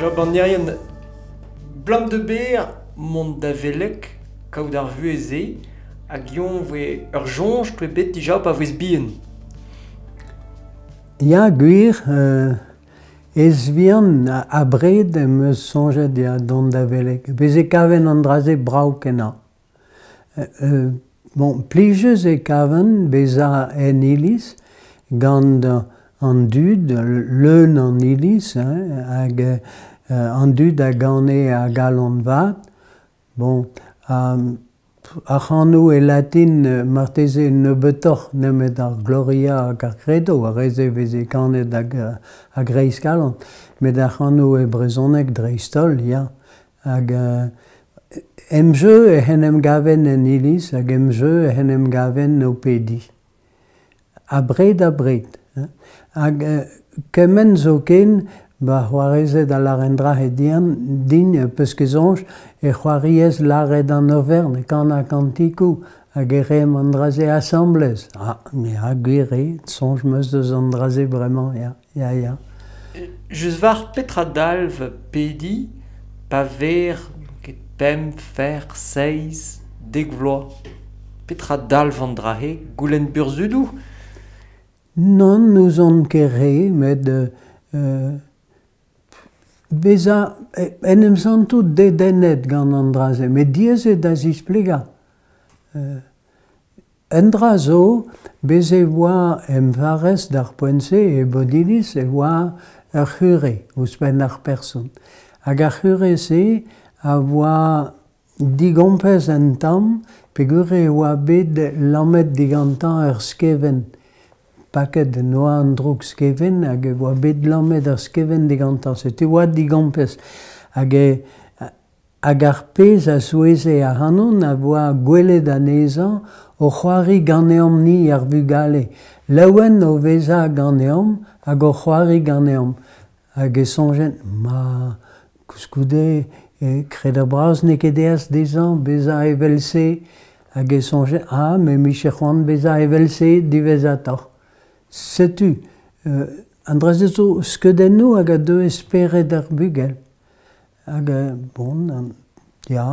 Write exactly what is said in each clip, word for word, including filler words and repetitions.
Job an Irien, blam de ber mont da veleg, kaout ar vuhez-se, hag yon voe ur soñj toe bet dija pa voez bihan. Ya, gwir, euh, ez vihan abred em eus soñjet ya dont da veleg. Bez e kaven an dra-se brav kenañ. Euh, bon, plijus e kaven bezañ en iliz gant an dud, leun an iliz, hein, hag euh, an dud a gane a galon vat. Bon, um, ar c'hanoù e latin marteze nebeutoc'h nemet ar Gloria hag ar Credo, ar re-se veze kanet hag a-greiz kalon. Met ar c'hanoù e brezhoneg dreist-holl, ya. Hag euh, em jeu ec'h en em gaven en iliz hag em jeu ec'h en em gaven o pediñ. Abred abred. Hein. Hag euh, kement zoken, ba c'hoarezed a lâr un dra din, din peus ket soñj, e c'hoariez lâret an overn, kanañ kantikoù, hag e reemp an dra-se asambles. Ah, me ha gwir eo, soñj 'm eus deus an dra-se bremañ, ya, ya, ya. Just war petra dalv pediñ pa ver ket pemp, fer, seizh, dek vloaz. Petra dalv an dra-se, goulenn burzhudoù? Nann, n'ouzon ket re, met euh, bezañ en em santout dedennet gant an dra-se, met diaes eo da zisplegañ. Euh, un dra zo, bez e oa em farrez d'ar poent-se e Bodiliz e oa ur c'hure ouzhpenn ar person. Hag ar c'hure-se a oa digompez un tamm peogwir e oa bet lammet digantañ ur skevent. Paket en oa an droug skevent hag e oa bet lammet ar skevent digantañ. Setu oa digompez. Hag e, hag ar pezh a souezhe ac'hanon a oa gwelet anezhañ o c'hoari ganeomp-ni ar vugale. Laouen o vezañ ganeomp hag o c'hoari ganeomp. Hag e soñjen, ma koulskoude e kred bras n'eo ket aes dezhañ bezañ evel-se. Hag e soñjen, ah, me 'mije c'hoant bezañ evel-se diwezhatoc'h. Setu, euh, an dra-se zo skeudennoù hag a deu e spered ar bugel. Hag, bon, an, ya,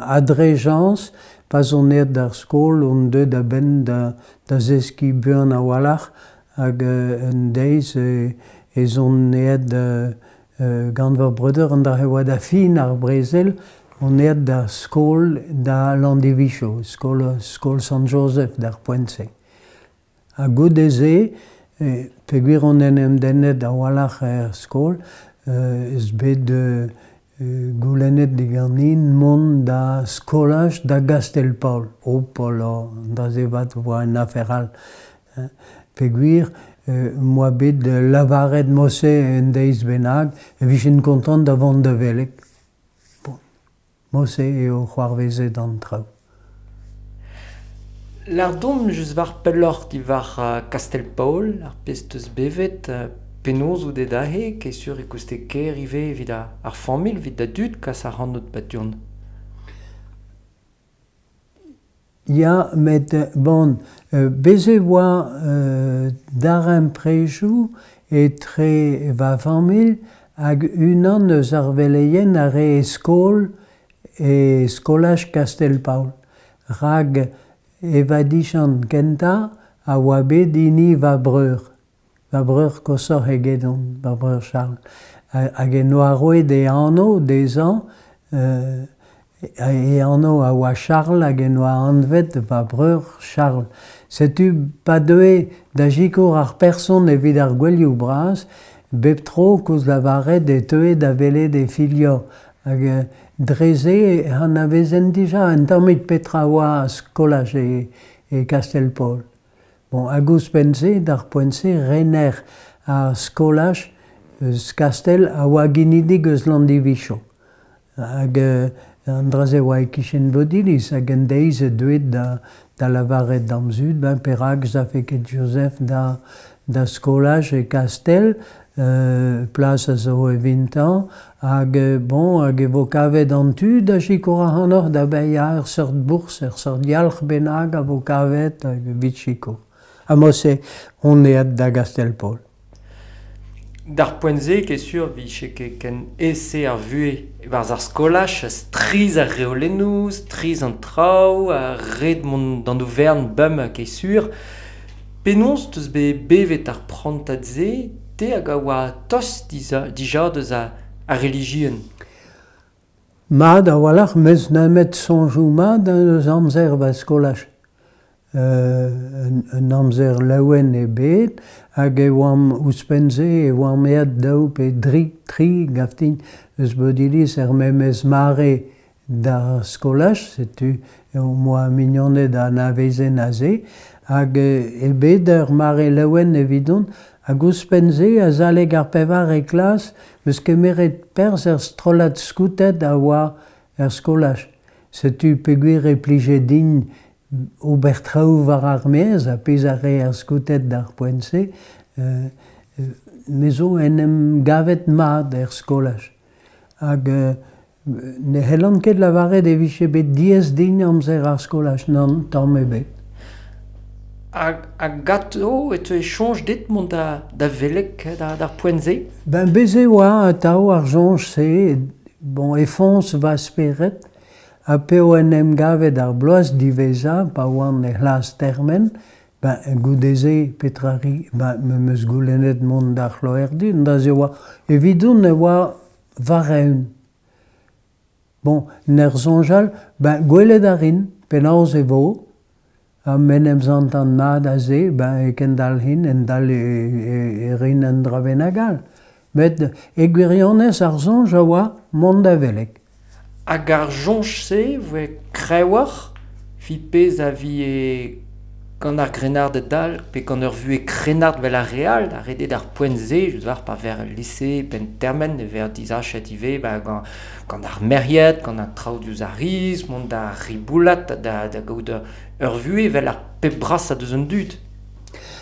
ha dre chañs, pa 'z on aet d'ar skol on deuet a-benn da, da zeskiñ buan a-walc'h hag euh, un deiz e, ez on aet euh, gant va breudeur an dra e oa da fin ar brezel, on aet d'ar skol da Landivicho, skol, skol Sant-Joseph d'ar poent-se. Ha goude-se, peogwir on en em dennet a-walc'h er skol, euh, ez bet euh, goulennet diganin mont da skolaj da Gastell-Paol. Hopola, an dra-se 'vat oa un afer all. Peogwir euh, 'm boa bet lavaret mod-se un deiz bennak e vijen kontant da vont da veleg. Bon, mod-se eo c'hoarvezet an traoù. Lâr deomp just war pelloc'h diwar Kastell-Paol, ar pezh 'teus bevet, penaos out aet aze, ket sur e kouste ker ivez evit ar familh, evit da dud kas ac'hanout 'ba du-hont. Ya, met bon, bez e oa euh, darempredoù etre va familh hag unan eus ar veleien a rae skol e skolaj Kastell-Paol. Rak e vadiziant kentañ a oa bet hini va breur. Va breur koshoc'h egedon, va breur Charles. Hag en doa roet e anv dezhañ, euh, e anv a oa Charles hag en doa anvet va breur Charles. Setu pa deue da sikour ar person evit ar gouelioù bras, bep tro koulz lavaret e teue da welet e filhor. Hag dre-se e anavezen dija un tammig petra oa skolaj e, e Kastell-Paol. Bon, hag ouzhpenn-se, d'ar poent-se, rener ar skolaj eus Kastell a oa ginidik eus Landivicho. Hag euh, an dra-se oa e-kichen Bodiliz hag un deiz e deuet da, da lavaret d'am zud, ben perak 'z afe ket Joseph da, da skolaj e Kastell, euh, plas a zo evintañ, hag bon, hag e vo kavet an tu da sikour ac'hanoc'h da baeañ ur seurt bourzh, ur seurt yalc'h bennak a vo kavet hag evit sikour. Ha mod-se on aet da Gastell-Paol. D'ar poent-se ket sur vije ket ken aes-se ar vuhez e-barzh ar skolaj, strizh ar reolennoù, strizh an traoù, ha ret mont d'an overn bemp ket sur. Penaos teus bet bevet ar prantad-se, te hag a oa tost dija deus ar relijion? Mat a-walc'h, 'meus nemet soñjoù mat eus amzer va skolaj. Euh, un amzer laouen eo bet hag e oamp ouzhpenn-se e oamp aet daou pe dri, tri gav din eus Bodiliz er memes mare d'ar skolaj, setu em boa mignoned a anavezen aze hag eo bet ur mare laouen evidon hag ouzhpenn-se azalek ar pevare klas 'm eus kemeret perzh er strollad skouted a oa er skolaj. Setu peogwir e plije din ober traoù war ar maez, ar pezh a rae ar skouted d'ar poent-se, euh, me zo en em gavet mat er skolaj. Hag euh, ne c'hellan ket lavaret e vije bet diaes din amzer ar skolaj, nann, tamm ebet. Hag, hag ganto e teue soñj dit mont da, da veleg da, d'ar poent-se? Ben bez' e oa atav ar soñj-se, bon, e foñs va spered, ha p'eo en em gavet ar bloaz diwezhañ, pa oan e c'hlas termen, ben goude-se petra 'ri, ben me 'm eus goulennet mont d'ar c'hloerdi, da se oa evidon e oa war-eeun. Bon, en ur soñjal, ben gwelet a rin penaos e vo, ha m'en em santan mat aze, ben e kendalc'hin, endal e, e, e rin un dra bennak all. Met e gwirionez ar soñj a oa mont da veleg. Hag ar soñj-se voe kreñvoc'h evit pezh a vije gant ar grennarded all pe gant ur vuhez krennard 'vel ar re all, da redet ar poent-se, je war pa ver el lise penn termen e ver disachet ivez ba, gant, gant ar merc'hed, gant an traoù diouzh ar riz, mont da riboulat, da, da gaout ur vuhez 'vel ar pep brasañ deus an dud.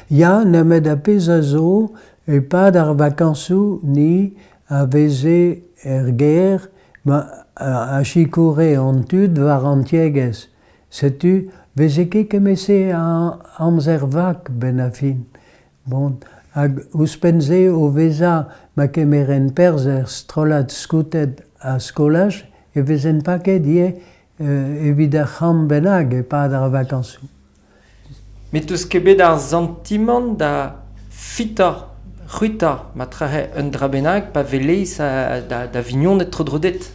Ya, nemet ar pezh a zo, e-pad ar vakañsoù ni a veze er gêr ma a sikoure an tud war an tiegezh. Setu veze ket kement-se a amzer vak 'benn ar fin. Bon, hag ouzhpenn-se o vezañ ma kemeren perzh er strollad skouted a skolaj e vezen paket ivez euh, evit ur c'hamp bennak e-pad ar vakañsoù. Met 'teus ket bet ar santimant da fitañ, c'hwitañ ma trahe un dra bennak pa welez da, da vignoned tro-dro dit?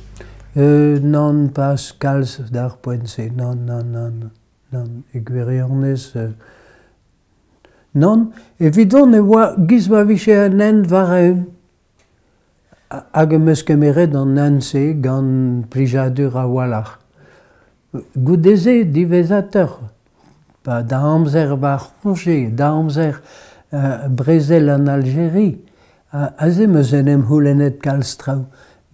Euh, nann, pas kalz d'ar poent-se, nann, nann, nann, nann, e gwirionez... Euh, nann, evidon e oa giz ma vije un hent war-eeun. Hag em eus kemeret an hent-se gant plijadur a-walc'h. Goude-se diwezhatoc'h, pa da amzer va c'hoñje, da amzer euh, brezel an Aljeri, aze 'm eus en em c'houlennet kalz traoù.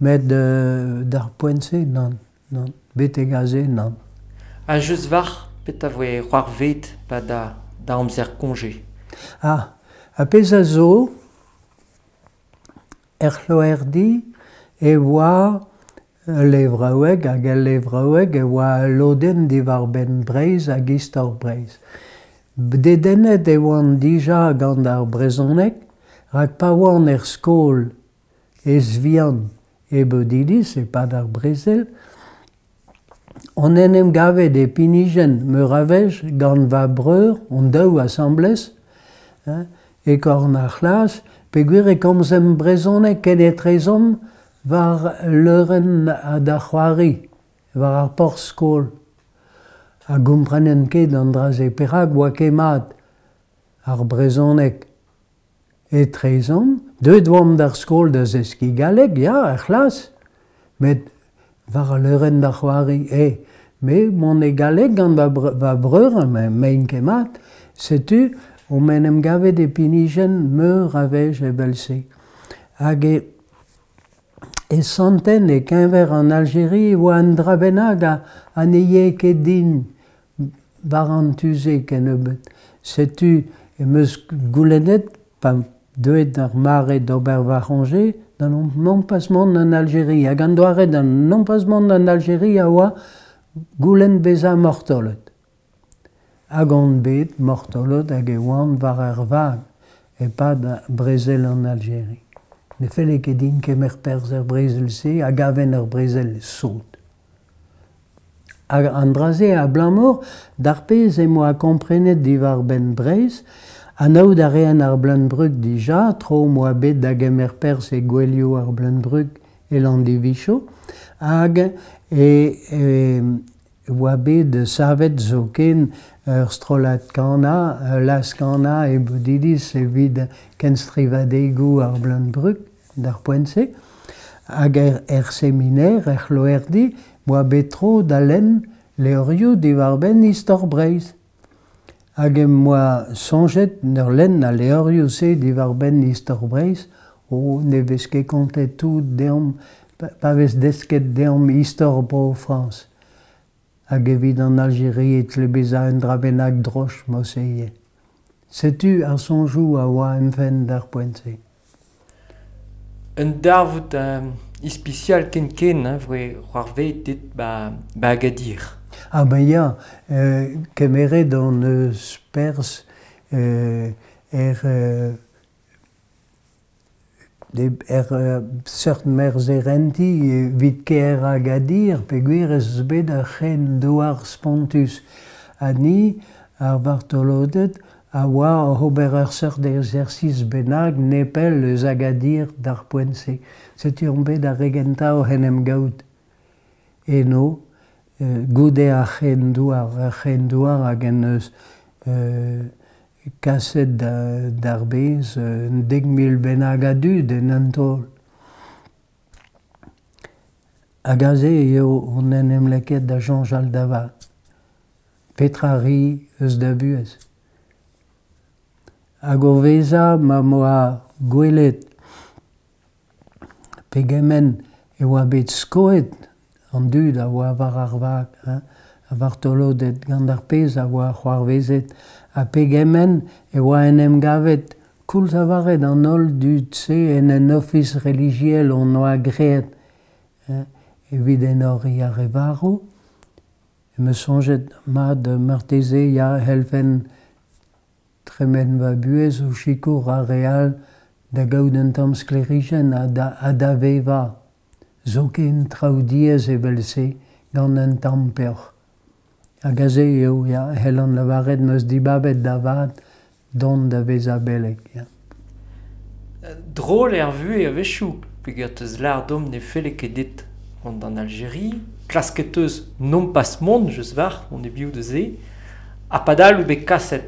Met euh, d'ar poent-se, nann, nann, betek aze, nann. Ha just war, petra voe c'hoarvezet pa da, da amzer koñje? Ah, ar pezh a zo, er c'hloerdi e oa ul levraoueg hag el levraoueg e oa ul lodenn diwar-benn Breizh hag istor Breizh. Dedennet e oan dija gant ar brezhoneg, rak pa oan er skol ez-vihan e Bodiliz e-pad ar brezel, on en em gavet e pinijenn meur a wech gant va breur, hon daou asambles, hein, e korn ar c'hlas, peogwir e komzemp brezhoneg kenetrezomp war leurenn da c'hoari, war ar porzh-skol. Ha gomprenen ket an dra-se, perak oa ket mat ar brezhoneg etrezomp. Deuet oamp d'ar skol da zeskiñ galleg, ya, er c'hlas, met war al leurenn da c'hoari, eh, me mont e galleg gant va, va breur, m'ein ket mat, setu omp en em gavet e pinijenn meur a wech evel-se. Hag e, e santen e-keñver an Aljeri e oa un dra bennak ha, ha ne yae ket din war an tu-se kennebeut. Setu em eus goulennet, pa deuet ar mare d'ober va c'hoñje, da non pas mont en Aljeri. Hag an doare da non pas mont en Aljeri a oa goulenn bezañ martolod. Hag on bet martolod hag e oan war ar vag e-pad brezel an Aljeri. Ne felle ket din kemer perzh er brezel-se a gaven ar brezel sot. Hag an dra-se abalamour d'ar pezh em boa komprenet diwar-benn Breizh, anaout a raen ar Bleun-Brug dija, tro 'm boa bet da gemer perzh e gouelioù ar Bleun-Brug e Landivicho, hag e, e oa bet savet zoken ur strollad kanañ, ul laz-kanañ e Bodiliz evit kenstrivadegoù ar Bleun-Brug d'ar poent-se. Hag er, er seminer, er c'hloerdi, 'm boa bet tro da lenn levrioù diwar-benn istor Breizh. Hag em boa soñjet en ur lenn al levrioù-se diwar-benn istor Breizh, oh, ne vez ket kontet tout deomp, pa vez desket deomp istor Bro-Frañs. Hag evit an Aljeria e tle bezañ un dra bennak droch mod-se ivez. Setu ar soñjoù a oa em fenn d'ar poent-se. Un darvoud euh, ispisial ken-ken hein, voe c'hoarvezet dit ba, ba Agadir. Ah ben ya, euh, kemeret hon eus perzh euh, er, euh, er euh, seurt merzherenti evit kêr Agadir peogwir ez eus bet ur c'hren-douar spontus. Ha ni, ar vartoloded, a oa oc'h ober ur seurt exercice bennak nepell eus Agadir d'ar poent-se. Setu omp bet ar re gentañ oc'h en em gaout eno, euh, goude ar c'hren-douar, ar c'hren-douar hag en deus euh, kaset da, d'ar bez un dek mil bennak a dud en un taol. Hag aze eo on en em lakaet da soñjal da vat. Petra 'ri eus da vuhez? Hag o vezañ ma 'm boa gwelet pegement e oa bet skoet an dud a oa war ar vag, hein, ar vartoloded gant ar pezh a oa c'hoarvezet, ha pegement e oa en em gavet koulz lavaret an holl dud-se en un ofis relijiel hon oa graet, hein, evit enoriñ ar re varv. Em eus soñjet mat marteze ya c'hellfen tremen va buhez o sikour ar re all da gaout un tamm sklêrijenn ha da, ha da vevañ. Zoken traoù diaes evel-se gant un tamm peoc'h. Hag aze eo, ya, c'hellan lavaret 'm eus dibabet da vat dont da vezañ beleg. Ya. Drol eo ar vuhez a-wechoù, peogwir 'teus lâret deomp ne felle ket dit mont d'an Aljeria, klasket 'teus nompas mont, just war, mont e-biou da se, ha padal out bet kaset.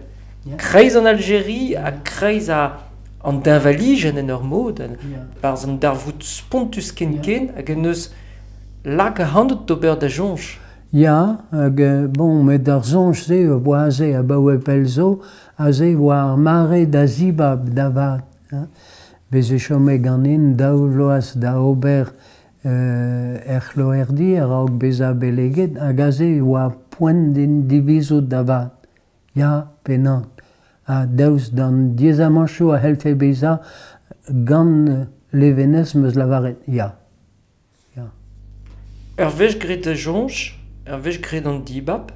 Ya. Kreiz an Aljeria ha kreiz a, an deñvalijenn en ur mod, Ya. barzh an darvoud spontus ken-ken hag en deus lak ac'hanout d'ober da soñj. Ya, hag bon, met ar soñj-se a oa aze abaoe pell zo, aze e oa ar mare da zibab da vat. Hein. Bez' e chome ganin daou vloaz da ober euh, er c'hloerdi a-raok bezañ beleget, hag aze e oa poent din divizout da vat. Ya pe nann. Ha daoust d'an diaezamantoù a c'hellfe bezañ gant levenez 'm eus lavaret ya. Ya. Ur wech graet da soñj, ur wech graet an dibab,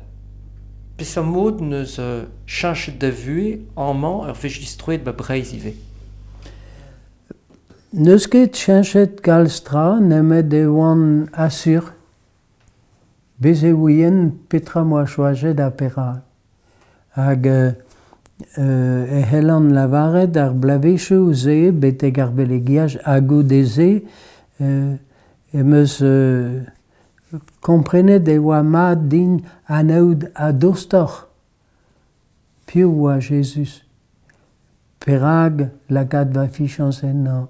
peseurt mod 'neus euh, cheñchet da vuhez amañ ur wech distroet ba Breizh ivez? N'eus ket cheñchet kalz tra nemet e oan asur. Bez' e ouien petra 'm boa choajet ha perak. Hag euh, e c'hellan lavaret ar bloavezhioù-se betek ar belegiaj ha goude-se euh, em eus euh, komprenet e oa mat din anaout a-dostoc'h piv oa Jezuz. Perak lakaat va fiziañs ennañ.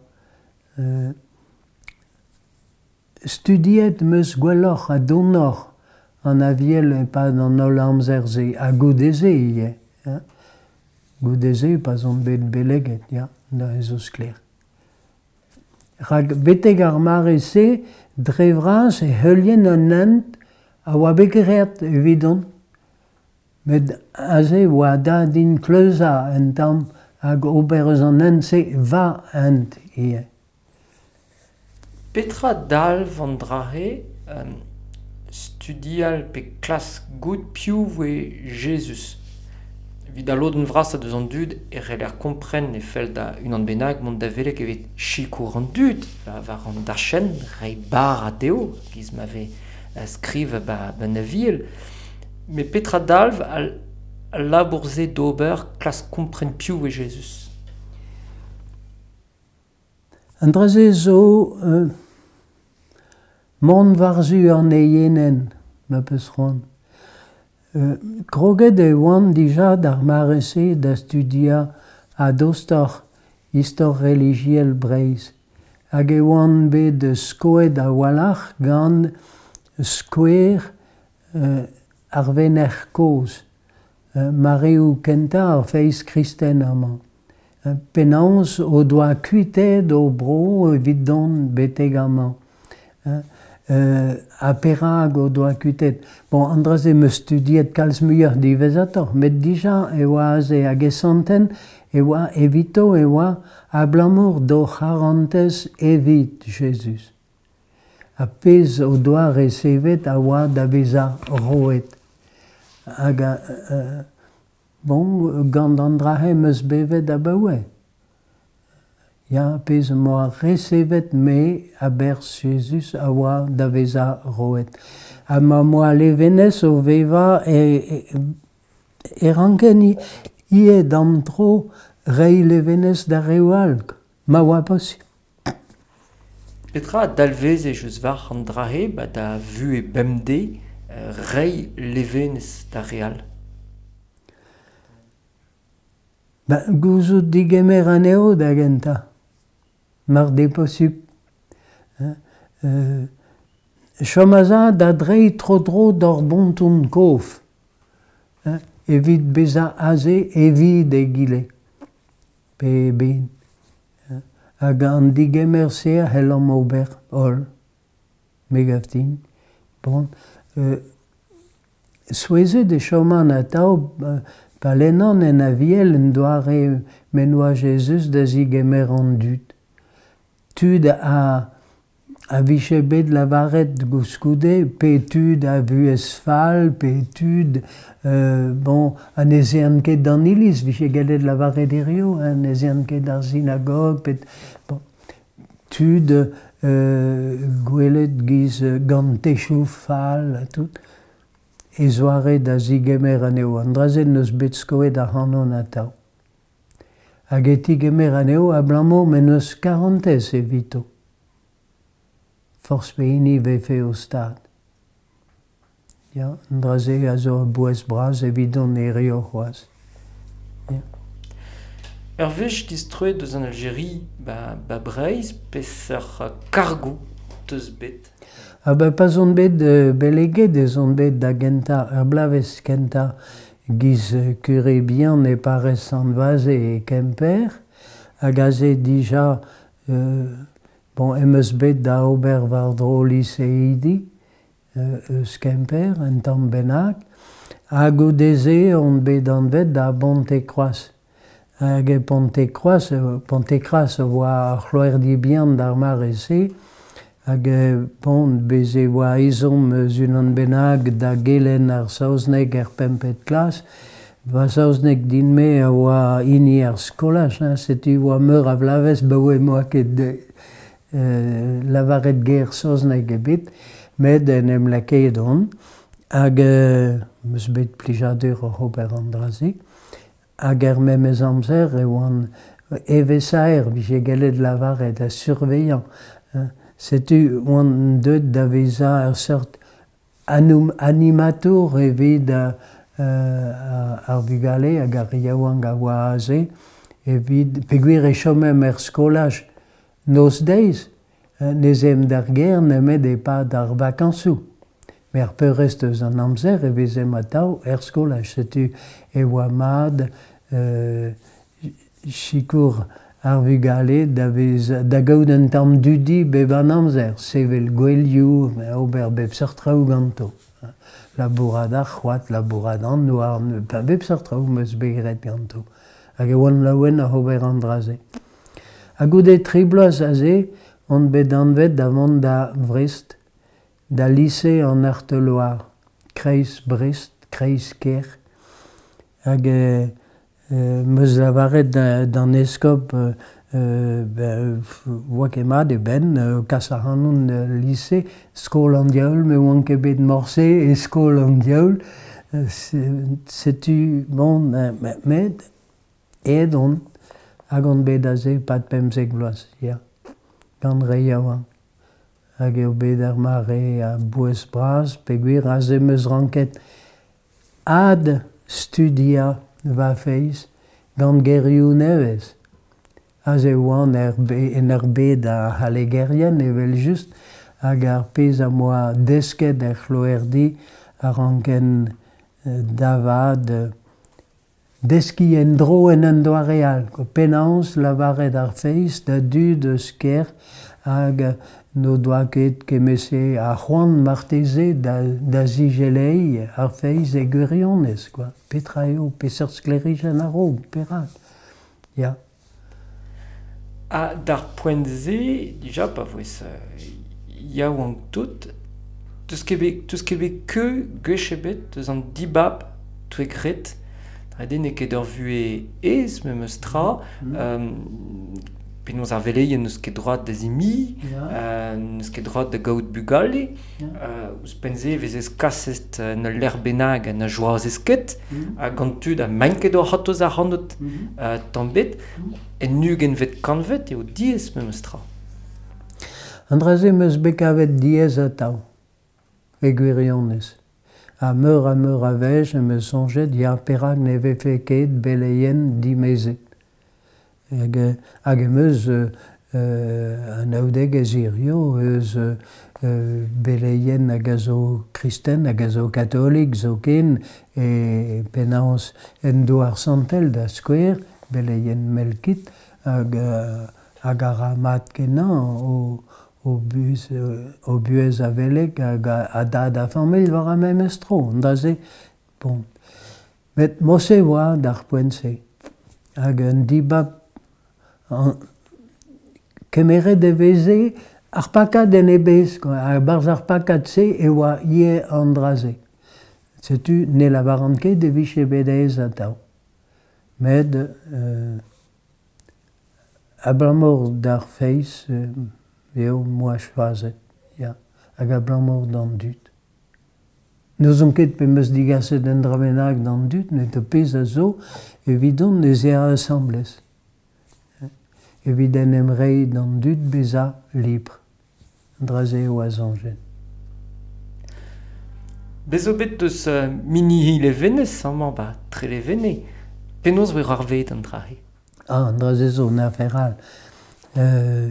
Euh, studiet 'm eus gwelloc'h ha donoc'h an Aviel e-pad an holl amzer-se, ha goude-se ivez. Hein. Goude-se pa'z on bet beleget, ya, da zo sklaer. Rak betek ar mare-se, dre vras e heulien un hent a oa bet graet evidon. Met aze e oa da din kleuzañ un tamm hag ober eus an hent-se va hent ivez. Petra dalv an dra-se euh, studial pe klask goût piv voe Jezuz? Evit al lodenn vrasañ deus an dud e c'heller kompren e fell da unan bennak mont da veleg evit sikour an dud war an dachenn, reiñ bara dezho, giz ma vez skriv ba, ba Aviel. Met petra dalv al, al labour-se d'ober klask kompren piv eo Jezuz? An dra-se zo euh, mont war-zu an eienenn, ma peus c'hoant. Euh, kroget e oan dija d'ar mare-se da studiañ a-dostoc'h istor relijiel Breizh. Hag e oan bet skoet a-walc'h gant skouer euh, ar venec'h kozh, euh, mareoù kentañ ar feiz kristen amañ. Euh, penaos o doa kuitaet o bro evit dont betek amañ. Euh, euh, ha perak o doa kuitaet. Bon, an dra-se 'm eus studiet kalz muioc'h diwezhatoc'h, met dija e oa aze hag e santen e oa evito e oa abalamour d'o c'harantez evit Jezuz. Ha pezh o doa resevet a oa da vezañ roet. Hag euh, bon, gant an dra-se 'm eus bevet abaoe. Ya, pezh 'm boa resevet me a-berzh Jezuz a oa da vezañ roet. Ha ma 'm boa levenez o vevañ e, e, e ranken ivez d'am tro reiñ levenez d'ar reoù all, ma oa posupl. Petra a dalveze eus war an dra-se ba da vuhez bemdez reiñ levenez d'ar re all? Ba, gouzout digemer anezho da gentañ, mar d'eo posupl. Euh, chom a-za da dreiñ tro-dro d'ur bonton kof, hein, evit bezañ aze evit egile, pe eben. Hag an digemer-se a c'hellomp ober holl, me gav din. Bon, euh, souezhet e choman atav pa lennan en Aviel en doare m'en doa Jezuz da zigemer an dud. Tud a, a vije bet lavaret gouskoude, pe tud a vuhez fall, pe tud euh, bon, ha ne zeant ket d'an iliz, vije gellet lavaret hirio, hein, ne zeant ket d'ar sinagog, pe, bon, tud euh, gwelet giz gant techoù fall ha tout, e zoare da zigemer anezho. An dra-se n'eus bet skoet ac'hanon atav. Hag e tigemer anezho abalamour m'en deus karantez evito. Forzh pehini vefe o stad. Ya, an dra-se a zo a-bouez bras evidon hirio c'hoazh. Ya. Ur wech distroet eus an Aljeria ba, ba Breizh, peseurt kargoù teus bet? Ah ben, pa 'z on bet euh, beleget ez on bet da gentañ, ur bloavezh kentañ giz kure bihan e parrez Sant-Vaze e Kemper, hag aze dija euh, bon, em eus bet da ober war-dro liseidi euh, eus Kemper, un tamm bennak, ha goude-se on bet anvet da Bonte-Kroaz. Hag e Ponte-Kroaz, Ponte-Kroaz a oa ar c'hloerdi bihan d'ar mare-se, hag bon, bez' e oa ezhomm eus unan bennak da gelenn ar saozneg er pempet klas. Va saozneg din-me a oa hini ar skolaj, hein, setu oa meur a vloavezh 'baoe 'm boa ket euh, lavaret ger saozneg ebet, met en em lakaet on, hag euh, 'm eus bet plijadur oc'h ober an dra-se. Hag er memes amzer e oan evezhaer, vije gellet lavaret, ha surveillant. Hein. Setu oan deuet da vezañ ur seurt animatour evit euh, ar vugale hag ar yaouank a oa aze, evit peogwir e chomemp er skolaj noz-deiz, ne 'z aemp d'ar gêr nemet e-pad ar vakañsoù. Met ar peurrest eus an amzer e vezemp atav er skolaj. Setu e oa mat euh, sikour ar vugale da vez, da gaout un tamm dudi bep an amzer, sevel gouelioù, ober bep seurt traoù ganto. Labourat ar c'hoad, labourat an houarn, bep seurt traoù 'm eus bet graet ganto. Hag e oan laouen oc'h ober an dra-se. Ha goude tri bloaz aze, on bet anvet da vont da Vrest, da lise an Heurteloir, kreiz Brest, kreiz kêr. Hag euh, 'Meus lavaret d'an eskob ben 'oa ket mat e benn o kas ac'hanon d'al lise, skol an diaoul, me 'oan ket bet morse e skol an diaoul, setu bon met aet on hag on bet aze e-pad pemzek vloaz, ya, gant re yaouank. Hag eo bet ur mare a-bouez-bras peogwir aze 'm eus ranket adstudiañ va feiz gant gerioù nevez. Aze e oan er en ur bed a c'hallegerien evel-just hag ar pezh am boa desket er c'hloerdi a ranken da vat deskiñ en-dro en un doare all kwa. Penaos lavaret ar feiz da dud eus kêr hag n'o doa ket kement-se a c'hoant marteze da da zigeleiñ ar feiz e gwirionez kwa. Petra eo, peseurt sklêrijenn a ro, perak ? Ya. Ha d'ar poent-se, dija pa voes yaouank-tout, 'teus ket bet 'teus ket bet keuz gwech ebet eus an dibab 'toe graet. Ret eo n'eo ket ur vuhez aes memes tra. Penaos ar veleien n'eus ket droad da zimiñ, n'eus ket droad da gaout bugale. Ouzhpenn-se e vezez kaset en ul lec'h bennak ha na joazez ket, ha gant tud ha 'maint ket o c'hortoz ac'hanout tamm ebet. En ugentvet kantved eo diaes memes tra. An dra-se 'm eus bet kavet diaes atav, e gwirionez. Ha meur ha meur a wech em eus soñjet ya perak ne vefe ket beleien dimezet. Hag hag em eus anaoudegezh hiziv eus beleien hag a zo kristen hag a zo katolik zoken e penaos en Douar Santel da skouer, beleien Melkit hag hag a ra mat-kenañ o o buhez o buhez a veleg hag a dad a familh war ar memes tro, an dra-se bon. Met morse e oa d'ar poent-se hag un dibab kemeret e veze ar pakad en e bezh kwa, ha e-barzh ar pakad-se e oa ivez an dra-se. Setu ne lavaran ket e vije bet aes atav. Met euh, abalamour d'ar feiz eo 'm boa choazet, ya, hag abalamour d'an dud. N'ouzon ket pe 'm eus degaset un dra bennak d'an dud, met ar pezh a zo evidon ez eo asambles. Evit en em reiñ d'an dud bezañ libr. An dra-se eo a soñjen. Bez zo bet deus Minihi Levenez amañ 'ba Trelevenez. Penaos 'voe c'hoarvezet an dra-se ? Ah, an dra-se zo un afer all. Euh,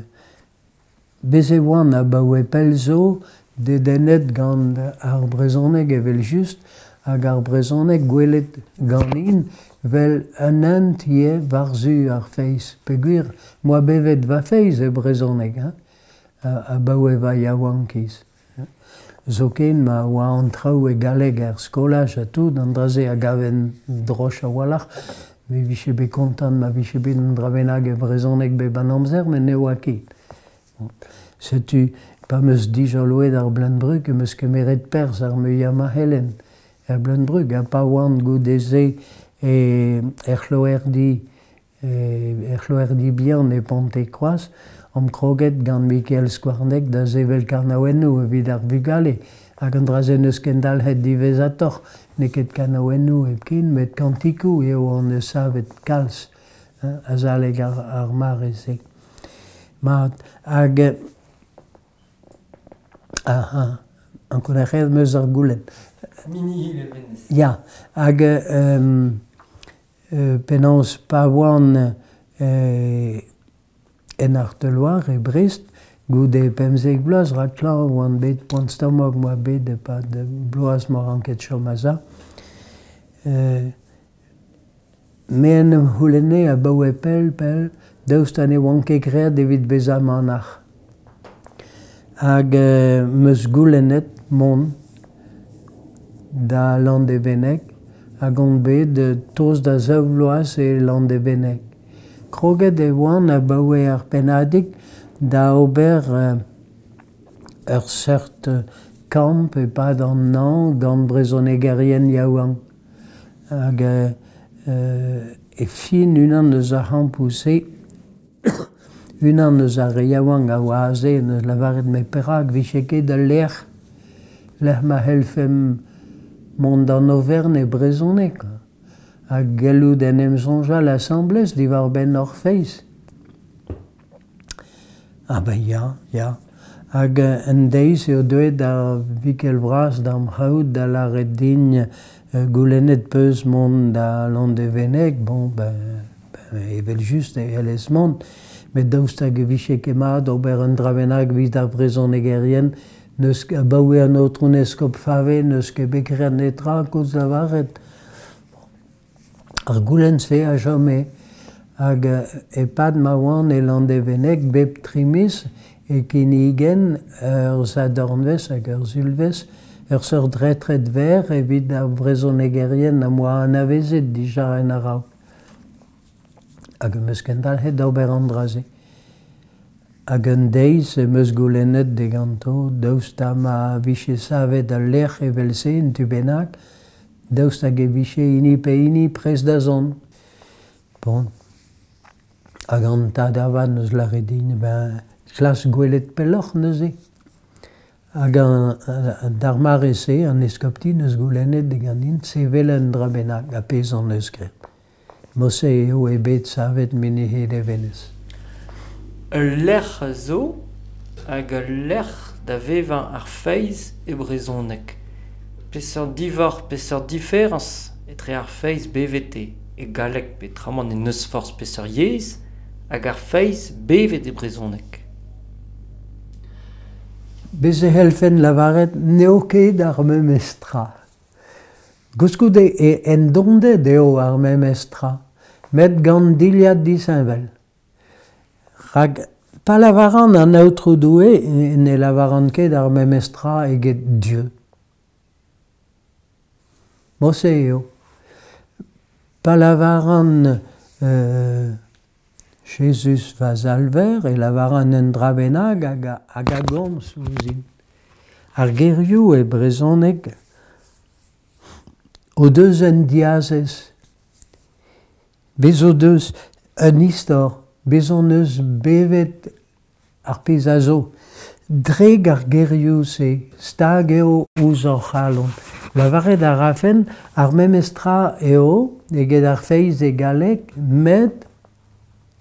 bez e oan abaoe pell zo dedennet gant ar brezhoneg evel-just hag ar brezhoneg gwelet ganin 'vel un hent ivez war-zu ar feiz. Peogwir 'm boa bevet va feiz e brezhoneg hein, abaoe va yaouankiz. Zoken ma oa an traoù e galleg er skolaj ha tout, an dra-se a gaven droch a-walc'h. Me vije bet kontant ma vije bet un dra bennak e brezhoneg bep an amzer, met ne oa ket. Setu pa 'm eus dijoloet ar Bleun-Brug em eus kemeret perzh ar muiañ ma c'hellen er Bleun-Brug ha pa oan goude-se e er c'hloerdi er c'hloerdi bihan e Pontekroaz omp kroget gant Mikael Skouarneg da sevel kanaouennoù evit ar vugale hag an dra-se n'eus kendalc'het diwezhatoc'h, n'eo ket kanaouennoù hepken met kantikoù eo hon eus savet kalz azalek ar, ar mare-se. Mat, hag aha, ankounac'haet 'm eus ar goulenn. Minihi-Levenez. Ya, hag euh, penaos pa oan euh, en Arteloire e Brest, goude pemzek vloaz, rak klañv oan bet poan-stomok 'moa bet e-pad bloaz 'moa ranket chom a-sav. Euh, me en em c'houlenne abaoe pell-pell daoust ha ne oan ket graet evit bezañ manac'h. Hag 'm eus goulennet mont da Landevenneg hag on bet tost da zaou vloaz e Landevenneg. Kroget e oan abaoe ar pennadig da ober ur seurt kamp e-pad an hañv gant brezhonegerien yaouank. Hag E fin unan eus ar c'hampoù-se, unan eus ar re yaouank a oa aze en deus lavaret met perak 'vije ket al lec'h lec'h ma c'hellfemp mont d'an oferenn e brezhoneg ha gellout en em soñjal asambles diwar-benn hor feiz. Ah ben ya, ya. Hag un deiz eo deuet ar vikel vras d'am c'haout da lâret din goulennet 'peus mont da Landevenneg, bon ben, ben evel-just e c'hellez mont, met daoust hag e vije ket mat ober un dra bennak evit ar brezhonegerien, n'eus abaoe an aotrou eskob Fave n'eus ket bet graet netra koulz lavaret. Ar goulenn-se a chome hag e-pad ma oan e Landevenneg bep tri miz e kinnigen ur sadornvezh hag ur sulvezh ur seurt retred verr evit ar brezhonegerien am boa anavezet dija en a-raok. Hag em eus kendalc'het d'ober an dra-se. Hag un deiz em eus goulennet diganto daoust ha ma vije savet al lec'h evel-se un tu bennak, daoust hag e vije hini pe hini prest da zont. Bon. Hag an tad avat 'neus lâret din ben klask gwelet pelloc'h neuze. Hag an, d'ar mare-se, an eskopti 'neus goulennet diganin sevel un dra bennak, ha pezh hon eus graet. Mod-se eo eo bet savet Menez Levenez. Ul lec'h zo hag ul lec'h da vevañ ar feiz e brezhoneg. Peseurt diforc'h, peseurt diferañs etre ar feiz bevet e galleg peotramant e n'eus forzh peseurt yezh hag ar feiz bevet e brezhoneg. Bez' e c'hellfen lavaret n'eo ket ar memes tra. Koulskoude e endonded eo ar memes tra, met gant dilhad disheñvel. Rak pa lavaran an Aotrou Doue ne lavaran ket ar memes tra eget Dieu. Mod-se eo. Pa lavaran euh, Jezuz va Salver e lavaran un dra bennak hag a, hag a gomz ouzhin. Ar gerioù e brezhoneg o deus un diazez. Bez' o deus un istor, bez' hon eus bevet ar pezh a zo. Dre ar gerioù-se, stag eo ouzh hor c'halon. Lavaret a rafen ar memes tra eo eget ar feiz e galleg, met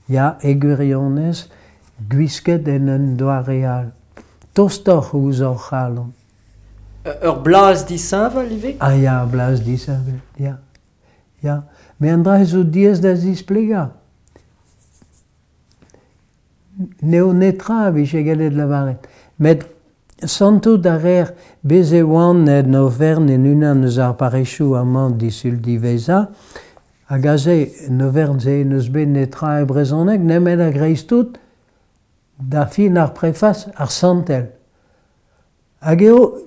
ya, e gwirionez, gwisket en un doare all. Tostoc'h ouzh hor c'halon. Ur blaz disheñvel ivez? Ah ya, ur blaz disheñvel, ya. Ya. Met an dra zo diaes da zisplegañ. N'eo netra a vije gallet lavaret. Met santout a reer bez' e oan en oferenn en unan eus ar parrezioù amañ disul diwezhañ, hag aze en oferenn-se n'eus bet netra e brezhoneg nemet a-greiz-tout da fin ar prefas ar santel. Hag eo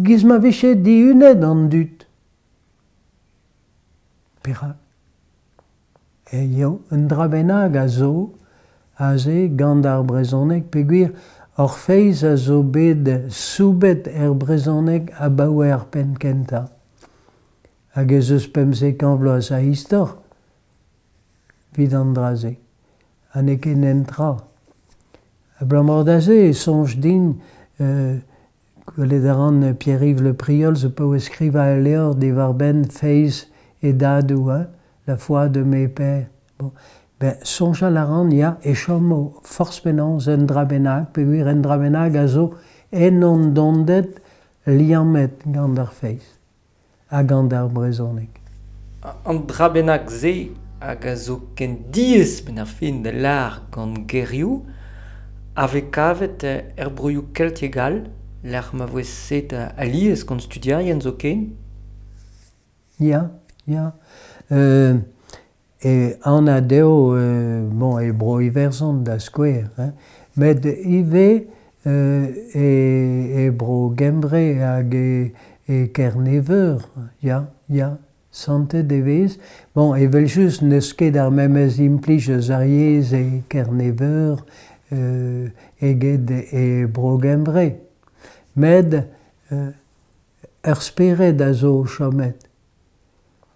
giz ma vije dihunet an dud. Perak? E eo un dra bennak a zo aze gant ar brezhoneg peogwir hor feiz a zo bet soubet er brezhoneg abaoe ar penn kentañ. Hag ez eus pemzek vloaz a istor evit an dra-se. Ha n'eo ket un tra. Abalamour da se e soñj din euh, gwelet a ran Pierre-Yves Le Priol zo paouez skrivañ ul levr diwar-benn feiz e dadoù, hein, la foi de mes pères. Bon. Ben, soñjal a ran, ya, e chomo forzh penaos un dra bennak, peogwir un dra bennak a zo en hon donded liammet gant ar feiz ha gant ar brezhoneg. An dra bennak-se hag a zo ken diaes benn ar fin da lâr gant gerioù a vez kavet er broioù keltiek all, lec'h ma voe set alies gant studierien zoken. Ya, ya. Euh, e anat eo euh, bon, e Bro-Iwerzhon da skouer, hein, met ivez euh, e, e Bro-Gembre hag e, e Kerne-Veur, ya, ya, santet e vez. Bon, evel-just n'eus ket ar memes implij eus ar yezh e Kerne-Veur euh, eget e Bro-Gembre. Met euh, ur spered a zo chomet.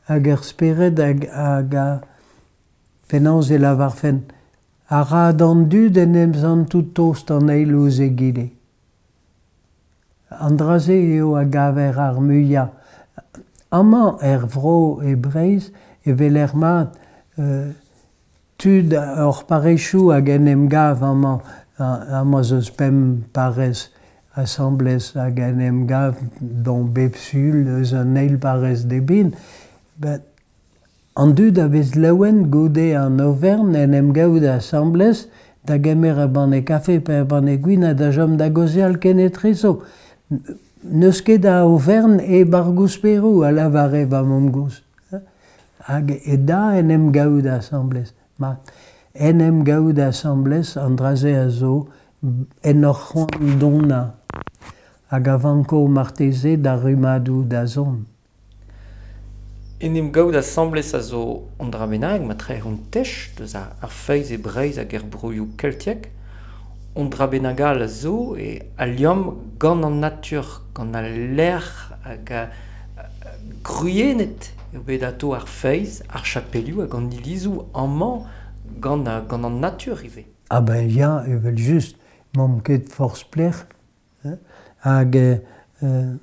Hag ur spered hag, hag a, Penaos e lavarfen a ra d'an dud en em santout tost an eil ouzh egile. An dra-se eo a gaver ar muiañ. Amañ er vro e Breizh e weler mat euh, tud hor parrezioù hag en em gav amañ. Amañ zo eus pemp parrez asambles hag en em gav dont bep sul eus an eil parrez d'eben. Ben, an dud a vez laouen goude an overn en em gaout asambles da gemer ur banne kafe pe ur banne gwin ha da chom da gaozeal kenetrezo. N'eus ket a overn e bar gousperoù a lavare va mamm-gozh. Hag e da en em gaout asambles. Ma, en em gaout asambles an dra-se a zo en ur c'hoant donañ hag a vanko marteze d'ar rummadoù da zont. En em gaout asambles a zo an dra bennak ma trec'h hon tech deus ar feiz e Breizh hag er broioù keltiek. An dra bennak all a zo e al liamm gant an natur, gant al lec'h hag a, gwriennet eo bet atao ar feiz, ar chapelioù hag an ilizoù amañ gant, gant an natur ivez. Ah ben ya, evel-just, m'omp ket forzh pelec'h. Hag euh,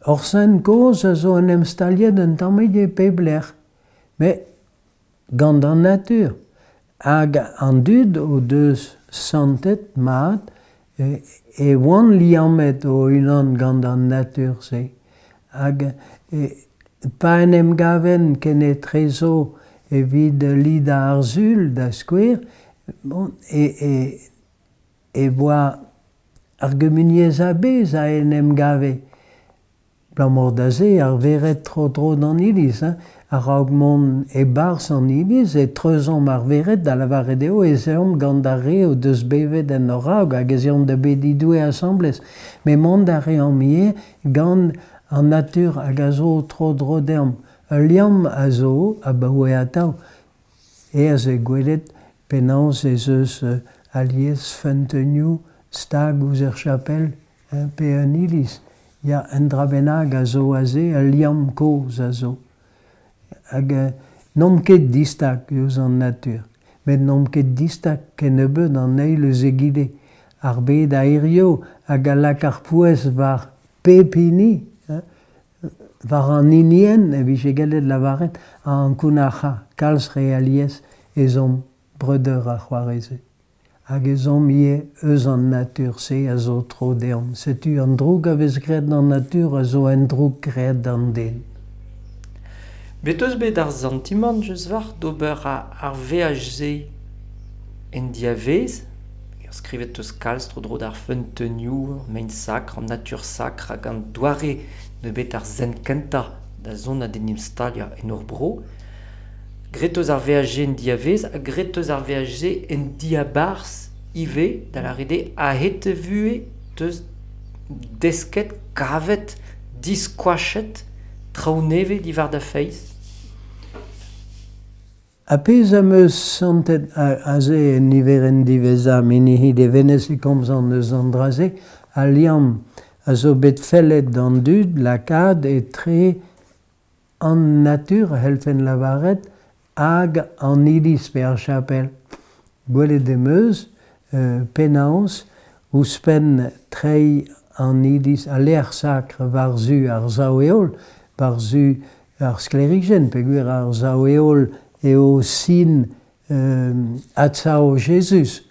hor sent kozh a zo en em staliet un tammig e pep lec'h, met gant an natur. Hag an dud o deus santet mat e, e oant liammet o-unan gant an natur-se. Hag e, pa en em gaven kenetrezo evit lidañ ar sul da skouer, bon, e, e, e oa ar gumuniezh a-bezh a en em gave. Abalamour da se ar vered tro-dro d'an iliz, hein. A-raok mont e-barzh an iliz e treuzomp ar vered da lavaret eo ez eomp gant ar re o deus bevet en hor raok hag ez eomp da bediñ Doue asambles. Met mont a reomp ivez gant an natur hag a zo tro-dro deomp. Ul liamm a zo abaoe atav. Aes eo gwelet penaos ez eus alies feunteunioù stag ouzh ur chapel pe un iliz. Ya, un dra bennak a zo aze, ul liamm kozh a zo. Hag euh, n'omp ket distag eus an natur, met n'omp ket distag kennebeut an eil eus egile. Ar bed a hirio hag a lak ar pouez war pep hini, hein, war an hinienn e vije gellet lavaret a ankounac'ha kalz re alies ez omp breudeur ha c'hoarezed. Hag ez omp ivez eus an natur-se a zo tro deomp. Setu an droug a vez graet d'an natur a zo un droug graet d'an den. Bet eus bet ar santimant eus war d'ober ar veaj-se en diavez, ur skrivet eus kalz tro-dro d'ar feunteunioù, mein sakr, an natur sakr hag an doare ne bet ar sent kentañ da zont d'en em staliañ en hor bro. Graet eus ar veaj-se en diavez ha graet eus ar veaj-se en diabarzh ivez, da lâret eo a-hed vuhez teus desket, kavet, diskoachet, traoù nevez diwar da feiz. A pezh am eus santet aze en niverenn diwezhañ Minihi Levenez e komzan eus an dra-se, al liamm a zo bet fellet d'an dud lakaat etre an natur a c'hellfen lavaret hag an iliz pe ar chapel. Gwelet em eus euh, penaos ouzhpenn treiñ an iliz al lec'h sakr war-zu ar sav-heol, war-zu ar sklêrijenn, peogwir ar sav-heol eo sin euh, adsav Jezuz,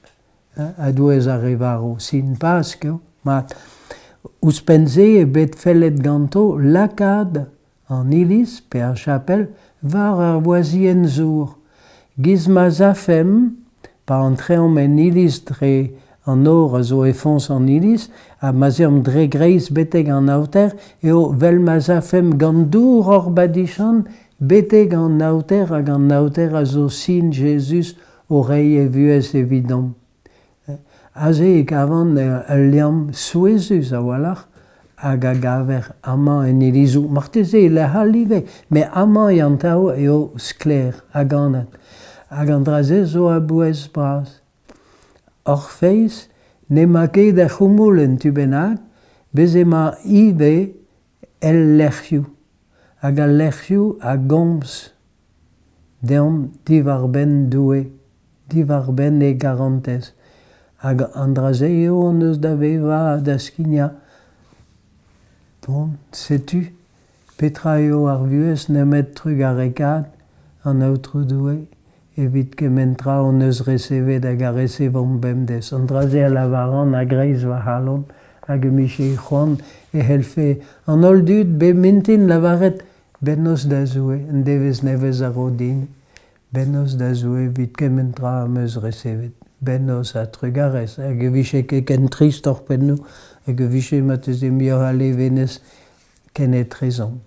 hein, a-douez ar re varv, sin Pask eo. Mat. Ouzhpenn-se eo bet fellet ganto lakaat an iliz pe ar chapel war ar wazhienn zour. Giz ma 'z afemp, pa antreomp en iliz dre an nor a zo e foñs an iliz, ha ma 'z eomp dre greiz betek an aoter, eo 'vel ma 'z afemp gant dour hor badichant betek an aoter hag an aoter a zo sin Jezuz o reiñ e vuhez evidomp. Aze e kavan ul liamm souezhus a-walc'h hag a gaver amañ en ilizoù. Marteze e lec'h all ivez, met amañ e an traoù eo sklaer hag anat. Hag an dra-se zo a-bouez bras. Hor feiz n'emañ ket er c'houmoul en tu bennak, bez' emañ ivez el lec'hioù. Hag al lec'hioù a gomz deomp diwar-benn Doue, diwar-benn e garantez. Hag an dra-se eo hon eus da vevañ ha da skignañ. Bon, setu petra eo ar vuhez nemet trugarekaat an Aotrou Doue evit kement tra hon eus resevet hag a resevomp bemdez. An dra-se a lavaran a-greiz va c'halon hag em bije c'hoant e c'hellfe an holl dud bep mintin lavaret bennozh da Zoue, un devezh nevez a ro din, bennozh da Zoue evit kement tra am eus resevet, bennozh ha trugarez, hag e vije ket ken trist hor pennoù, hag e vije marteze muioc'h a levenez kenetrezomp.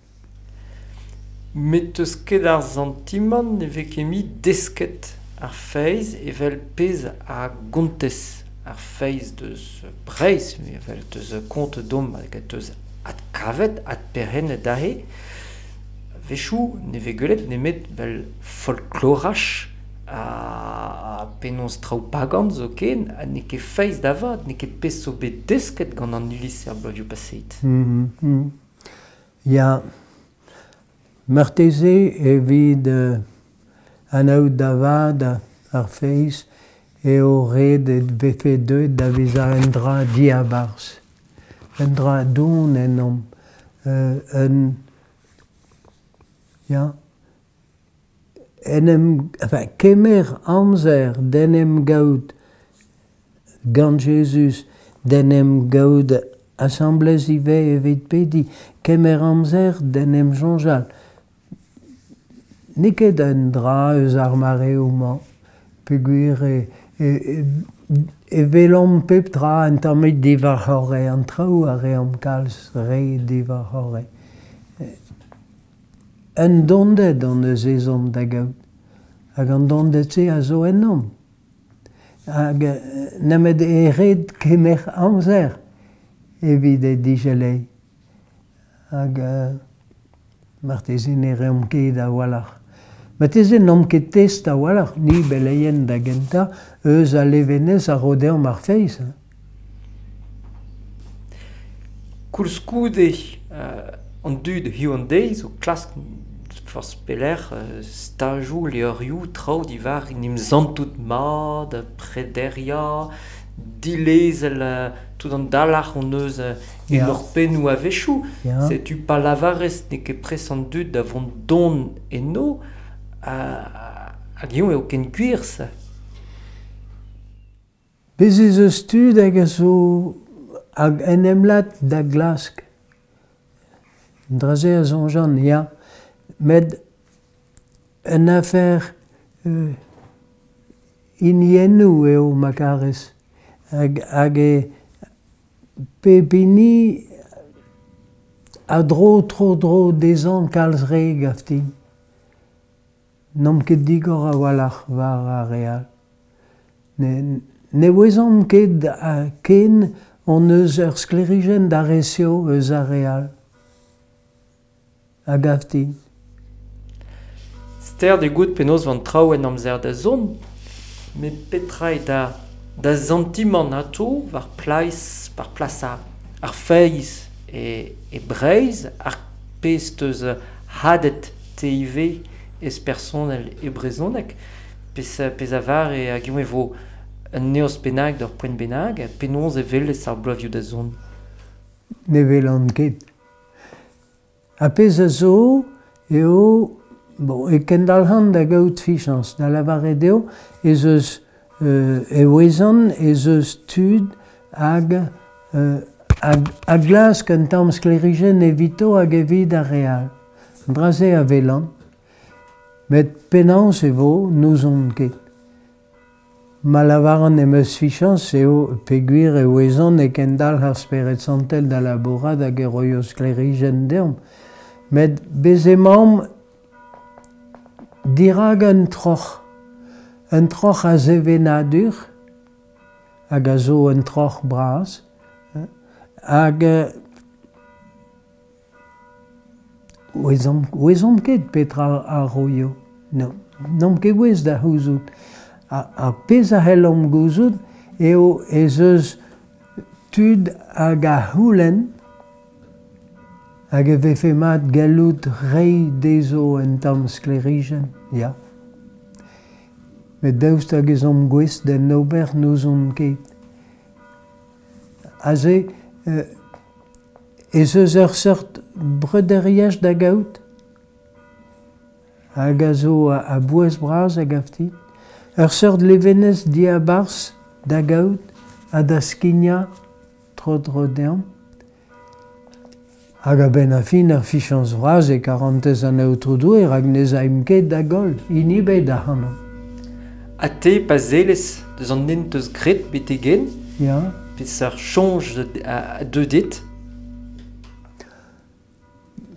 Met eus ket ar santimant ne vez ket mui desket ar feiz evel pezh a gontez ar feiz deus Breizh, evel deus kont domp hag deus adkavet, adperc'hennet aze. A-wechoù ne vez gwelet nemet vel folkloraj ha penaos traoù pagan zoken, ha n'eo ket feiz da vat, n'eo ket pezh zo bet desket gant an iliz er bloazioù paseet. Mm -hmm. Ya, marteze evit euh, anaout da vat ar feiz eo ret e vefe deuet da vezañ un dra diabarzh, un dra don ennomp, euh, un ya, en em, enfin, kemer amzer d'en em gaout gant Jezuz, d'en em gaout asambles ivez evit pediñ, kemer amzer d'en em soñjal. N'eo ket un dra eus ar mareoù-mañ, peogwir e, e, e, e welomp pep tra un tammig diwar-c'horre, an traoù a reomp kalz re diwar-c'horre. Un donded hon eus ezhomm da gaout, hag an donded-se a zo ennomp. Hag nemet e ret kemer amzer evit e digeleiñ. Hag euh, marteze ne reomp ket a-walc'h. Marteze n'omp ket test a-walc'h, ni beleien da gentañ, eus al levenez a ro deomp ar feiz. Koulskoude, euh, an dud hiziv an deiz o klask forzh pelec'h stajoù, levrioù, traoù diwar en em santout mat, prederiañ, dilezel tout an dalc'h hon eus en hor pennoù a-wechoù. Setu pa lavarez n'eo ket prest an dud da vont don eno, hag eñ eo ken gwir se. Bez' ez eus tud hag a zo hag en em lak da glask. An dra-se a soñjan, ya. Met un afer euh, hiniennoù eo ma karez. Hag, hag e pep hini a dro tro-dro dezhañ kalz re gav din. N'omp ket digor a-walc'h war ar re all. Ne, ne ouezomp ket ken hon eus ur sklêrijenn da resev eus ar re all. A gav din. Stert eo goût penaos van traoù en amzer da zont, met petra eo da, da santimant atao war plas, war plas ar, ar feiz e, e Breizh, ar pezh teus hadet te ivez ez personel e brezhoneg, pezh, pezh a var e hag e vo un neoz bennak d'ur poent bennak, penaos e welez ar bloavezhioù da zont? Ne welan ket. Ar pezh a zo eo, bon, e kendalc'han da gaout fichañs, da lavaret eo ez eus euh, e ouezan ez eus tud hag, euh, hag, a glask un tamm sklêrijenn evito hag evit ar re all. An dra-se a welan. Met penaos e vo, n'ouzon ket. Ma lavaran em eus fichañs eo peogwir e ouezan e kendalc'h ar Spered Santel da labourat hag e roio sklêrijenn deomp. Met bez' emaomp dirak un troc'h. Un troc'h a sevenadur, hag a zo un troc'h bras, hag ouezomp, ouezomp ket petra a roio. N'omp ket gouest da c'houzout. Ar pezh a c'hellomp gouzout eo ez eus tud hag a c'houlenn hag e vefe mat gallout reiñ dezho un tamm sklêrijenn, ya. Met daoust hag ez omp gouest d'en ober n'ouzon ket. Aze, euh, ez eus ur seurt breuderiezh da gaout, hag a zo a bouez bras a gav din. Ur seurt levenez diabarzh da gaout ha da skignañ tro-dro deomp. Hag a-benn ar fin ar fichañs vras e karantez an Aotrou Doue rak n'ez aimp ket da goll, hini ebet ac'hanomp. Ha te pa sellez deus an hent eus graet betek-henn? Ya. Peseurt soñj a deu dit?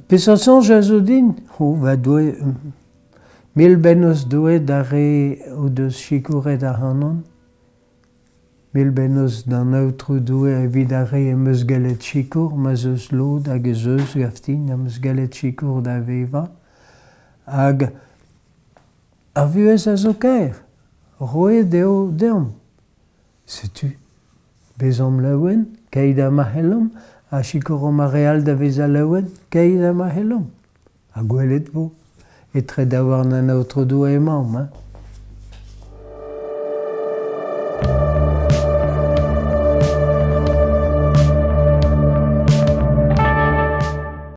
Peseurt soñj a zo din? Oh, va Doue, mil bennozh Doue d'ar re o deus sikouret ac'hanon. Mil bennozh d'an Aotrou Doue evit ar re em eus gallet sikour, ma'z eus lod hag ez eus gav din am eus gallet sikour da vevañ. Hag ar vuhez a zo kaer, roet eo deomp. Setu, bezomp laouen, keit ha ma c'hellomp, ha sikouromp ar re all da vezañ laouen, keit ha ma c'hellomp. Ha gwelet vo, etre daouarn an Aotrou Doue emaomp. Hein.